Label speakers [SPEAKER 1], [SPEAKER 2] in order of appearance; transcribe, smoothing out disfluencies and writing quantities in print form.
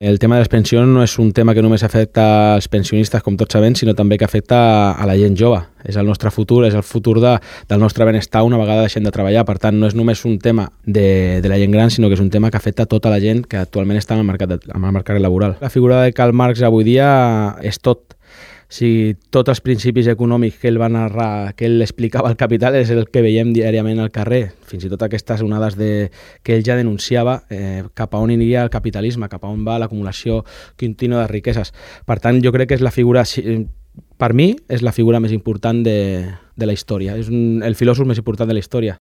[SPEAKER 1] El tema de les pensions no és un tema que només afecta als pensionistes, com tots sabem, sinó també que afecta a la gent jove. És el nostre futur, és el futur del nostre benestar una vegada deixem de treballar. Per tant, no és només un tema de la gent gran, sinó que és un tema que afecta tota la gent que actualment està en el mercat laboral. La figura de Karl Marx avui dia és tot. Si tots els principis econòmics que ell va narrar, que ell explicava al Capital, és el que veiem diàriament al carrer. Fins i tot aquestes onades que ell ja denunciava cap a on aniria el capitalisme, cap a on va l'acumulació contínua de riqueses. Per tant, jo crec que és la figura, per mi, és la figura més important de la història. És el filòsof més important de la història.